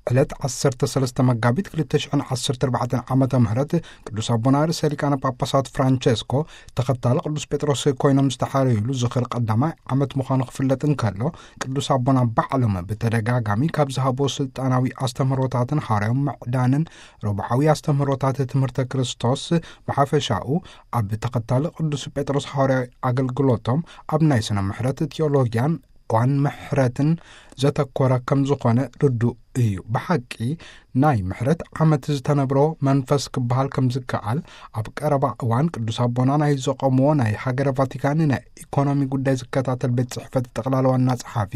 ዕለት ዓሰርተ ሰለስተ መጋቢት ክልተ ሽሕን ዓሰርተ ኣርባዕተን ዓመተ ምህረት ቅዱስ ኣቦና ርእሰ ሊቃነ ጳጳሳት ፍራንቸስኮ ተኸታሊ ቅዱስ ጴጥሮስ ኮይኖም ዝተሓረዩሉ ዝኽሪ ቀዳማይ ዓመት ምዃኑ ክፍለጥ እንከሎ፣ ቅዱስ ኣቦና ባዕሎም ብተደጋጋሚ ካብ ዝሃቦ ስልጣናዊ ኣስተምህሮታትን ሐዋርያዊ ምዕዳንን ረቡዓዊ ኣስተምህሮታት ትምህርተ ክርስቶስ ብሓፈሻኡ ኣብ ተኸታሊ ቅዱስ ጴጥሮስ ሐዋርያዊ ኣገልግሎቶም ኣብ ናይ ስነ ምሕረት ቲዮሎጊያን ዋን ምሕረትን ዘተኮረ ከም ዝኾነ ርዱእ እዩ። ብሓቂ ናይ ምሕረት ዓመት ዝተነብሮ መንፈስ ክበሃል ከም ዝከኣል ኣብ ቀረባ እዋን ቅዱስ ኣቦና ናይ ዘቆምዎ ናይ ሃገረ ቫቲካን ናይ ኢኮኖሚ ጉዳይ ዝከታተል ቤት ጽሕፈት ጠቕላላ ዋና ጸሓፊ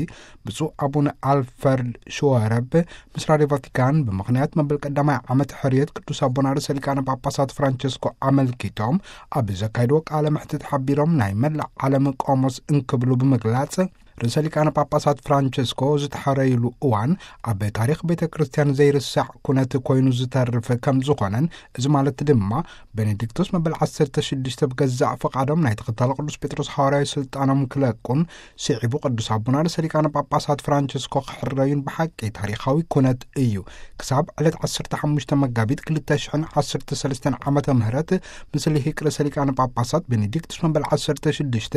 ብፁዕ ኣቡነ ኣልፈርድ ሽወረብ ምስ ራድዮ ቫቲካን ብምኽንያት መበል ቀዳማይ ዓመት ሕርየት ቅዱስ ኣቦና ርእሰ ሊቃነ ጳጳሳት ፍራንቸስኮ ኣመልኪቶም ኣብ ዘካየድዎ ቃለ መሕትት ሓቢሮም ናይ መላእ ዓለም ቆሞስ እንክብሉ ብምግላጽ ርእሰ ሊቃነ ጳጳሳት ፍራንቸስኮ ዝተሐረዩሉ እዋን ኣብ ታሪኽ ቤተ ክርስቲያን ዘይርሳዕ ኩነት ኮይኑ ዝተርፍ ከም ዝኾነን፣ እዚ ማለት ድማ ቤኔዲክቶስ መበል ዓሰርተ ሽዱሽተ ብገዛእ ፍቓዶም ናይ ተኸታሊ ቅዱስ ጴጥሮስ ሐዋርያዊ ስልጣኖም ክለቁን ስዒቡ ቅዱስ ኣቦና ርእሰ ሊቃነ ጳጳሳት ፍራንቸስኮ ክሕረዩን ብሓቂ ታሪኻዊ ኩነት እዩ። ክሳብ ዕለት ዓሰርተ ሓሙሽተ መጋቢት ክልተ ሽሕን ዓሰርተ ሰለስተን ዓመተ ምህረት ምስ ልሂቅ ርእሰ ሊቃነ ጳጳሳት ቤኔዲክቱስ መበል ዓሰርተ ሽዱሽተ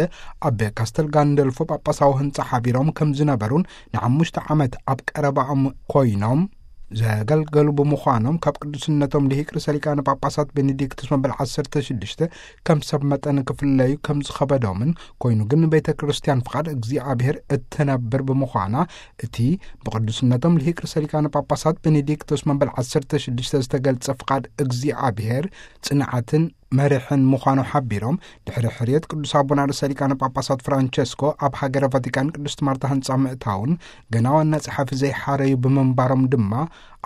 ኣብ ካስተል ጋንደልፎ ጳጳሳዊ ህንጻ ሓቢሮም ከም ዝነበሩን ንሓሙሽተ ዓመት ኣብ ቀረባኦም ኮይኖም ዘገልገሉ ብምዃኖም ካብ ቅዱስነቶም ልሂቅ ርእሰ ሊቃነ ጳጳሳት ቤኔዲክቱስ መበል ዓሰርተ ሽዱሽተ ከም ሰብ መጠን ክፍለዩ ከም ዝኸበዶምን ኮይኑ ግን ቤተ ክርስቲያን ፍቓድ እግዚኣብሔር እትነብር ብምዃና እቲ ብቅዱስነቶም ልሂቅ ርእሰ ሊቃነ ጳጳሳት ቤኔዲክቶስ መበል ዓሰርተ ሽዱሽተ ዝተገልጸ ፍቓድ እግዚኣብሔር ጽንዓትን መሪሕን ምዃኑ ሓቢሮም፣ ድሕሪ ሕርየት ቅዱስ ኣቦና ርእሰ ሊቃነ ጳጳሳት ፍራንቸስኮ ኣብ ሃገረ ቫቲካን ቅድስት ማርታ ህንጻ ምእታውን ገና ዋና ጸሓፊ ዘይሓረዩ ብምንባሮም ድማ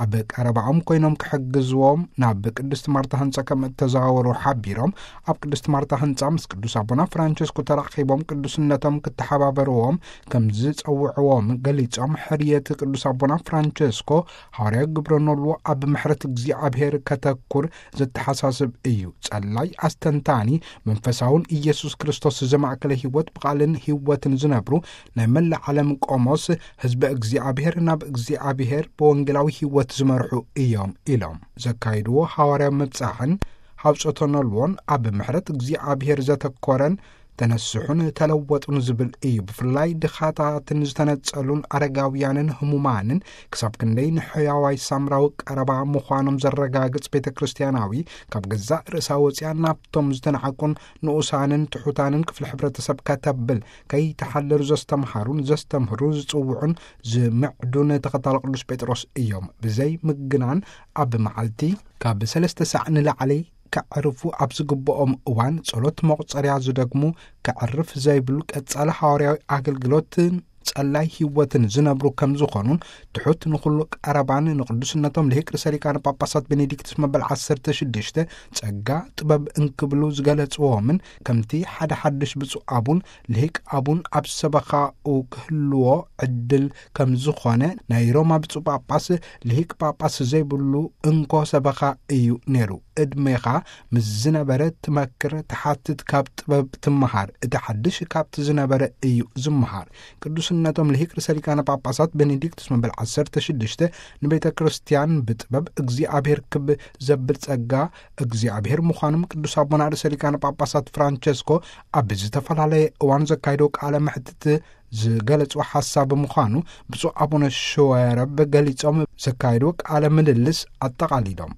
ኣብ ቀረባኦም ኮይኖም ክሕግዝዎም ናብ ቅድስት ማርታ ህንጻ ከም እተዘዋወሩ ሓቢሮም፣ ኣብ ቅድስት ማርታ ህንጻ ምስ ቅዱስ ኣቦና ፍራንቸስኮ ተራኺቦም ቅዱስነቶም ክተሓባበርዎም ከም ዝጸውዕዎም ገሊጾም፣ ሕርየት ቅዱስ ኣቦና ፍራንቸስኮ ሐዋርያዊ ግብረ ኖልዎ ኣብ ምሕረት እግዚኣብሔር ከተኩር ዘተሓሳስብ እዩ። ጸላይ ኣስተንታኒ መንፈሳውን ኢየሱስ ክርስቶስ ዘማእከለ ህይወት ብቓልን ህይወትን ዝነብሩ ናይ መላእ ዓለም ቆሞስ ህዝበ እግዚኣብሔር ናብ እግዚኣብሔር ብወንጌላዊ ህይወት ዝመርሑ እዮም ኢሎም። ዘካይድዎ ሐዋርያዊ ምብጻሕን ሐውጸቶ ኖልዎን ኣብ ምሕረት እግዚኣብሔር ዘተኮረን ተነስሑን ተለወጡን ዝብል እዩ። ብፍላይ ድኻታትን ዝተነጸሉን ኣረጋውያንን ህሙማንን ክሳብ ክንደይ ንሕያዋይ ሳምራዊ ቀረባ ምዃኖም ዘረጋግጽ ቤተ ክርስቲያናዊ ካብ ገዛእ ርእሳ ወጺኣ ናብቶም ዝተናዕቁን ንኡሳንን ትሑታንን ክፍሊ ሕብረተሰብ ከተብል ከይተሓለሉ ዘስተምሃሩን ዘስተምህሩ ዝጽውዑን ዝምዕዱን ተኸታሊ ቅዱስ ጴጥሮስ እዮም። ብዘይ ምግናን ኣብ መዓልቲ ካብ ሰለስተ ሳዕ ንላዕሊ ከዕርፉ ኣብ ዝግብኦም እዋን ጸሎት መቑጸርያ ዝደግሙ፣ ከዕርፍ ዘይብሉ ቀጻሊ ሃዋርያዊ ኣገልግሎትን ጸላይ ህይወትን ዝነብሩ ከም ዝኾኑን ትሑት ንኹሉ ቀረባን ንቅዱስነቶም ልሂቅ ርእሰ ሊቃነ ጳጳሳት ቤኔዲክቱስ መበል ዓሰርተ ሽዱሽተ ጸጋ ጥበብ እንክብሉ ዝገለጽዎምን ከምቲ ሓደ ሓድሽ ብፁዕ ኣቡን ልሂቅ ኣቡን ኣብ ሰበኻኡ ክህልዎ ዕድል ከም ዝኾነ ናይ ሮማ ብፁዕ ጳጳስ ልሂቅ ጳጳስ ዘይብሉ እንኮ ሰበኻ እዩ ነይሩ። ዕድሜኻ ምስ ዝነበረ ትመክር፣ ትሓትት፣ ካብ ጥበብ ትመሃር። እቲ ሓድሽ ካብቲ ዝነበረ እዩ ዝመሃር። ቅዱስነቶም ልሂቅ ርእሰ ሊቃነ ጳጳሳት ቤኔዲክቱስ መበል ዓሰርተ ሽዱሽተ ንቤተ ክርስቲያን ብጥበብ እግዚኣብሔር ክብ ዘብል ጸጋ እግዚኣብሔር ምዃኖም ቅዱስ ኣቦና ርእሰ ሊቃነ ጳጳሳት ፍራንቸስኮ ኣብ ዝተፈላለየ እዋን ዘካየዶ ቃለ መሕትት ዝገለጹ ሓሳብ ምዃኑ ብፁዕ ኣቡነ ሽወረብ ገሊጾም ዘካየድዎ ቃለ ምልልስ ኣጠቓሊሎም።